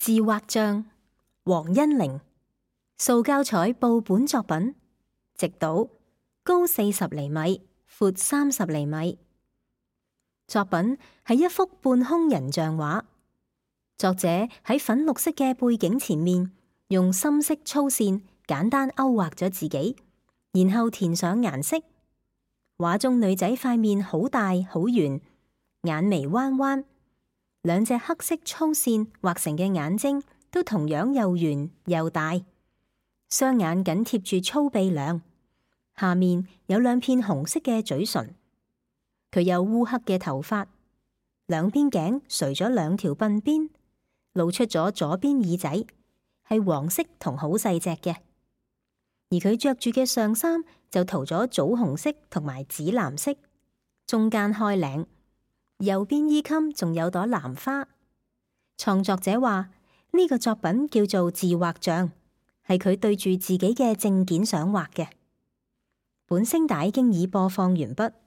自畫像，黃欣玲，塑膠彩布本作品，直島，高40厘米，闊30厘米。作品係一幅半空人像畫，作者喺粉綠色嘅背景前面，用深色粗線簡單勾畫咗自己，然後填上顏色。畫中女仔塊面好大好圓，眼眉彎彎，兩隻黑色粗線畫成嘅眼睛都同樣又圓又大，雙眼緊貼住粗鼻梁，下面有兩片紅色嘅嘴唇。佢有烏黑嘅頭髮，兩邊頸垂咗兩條鬢邊，露出咗左邊耳仔，係黃色同好細隻嘅。而佢着住嘅上衫就塗咗棗紅色同埋紫藍色，中間開領，右邊衣襟仲有朵蘭花。創作者話呢個作品叫做自畫像，係佢對住自己嘅證件相畫嘅。本聲帶經已播放完畢。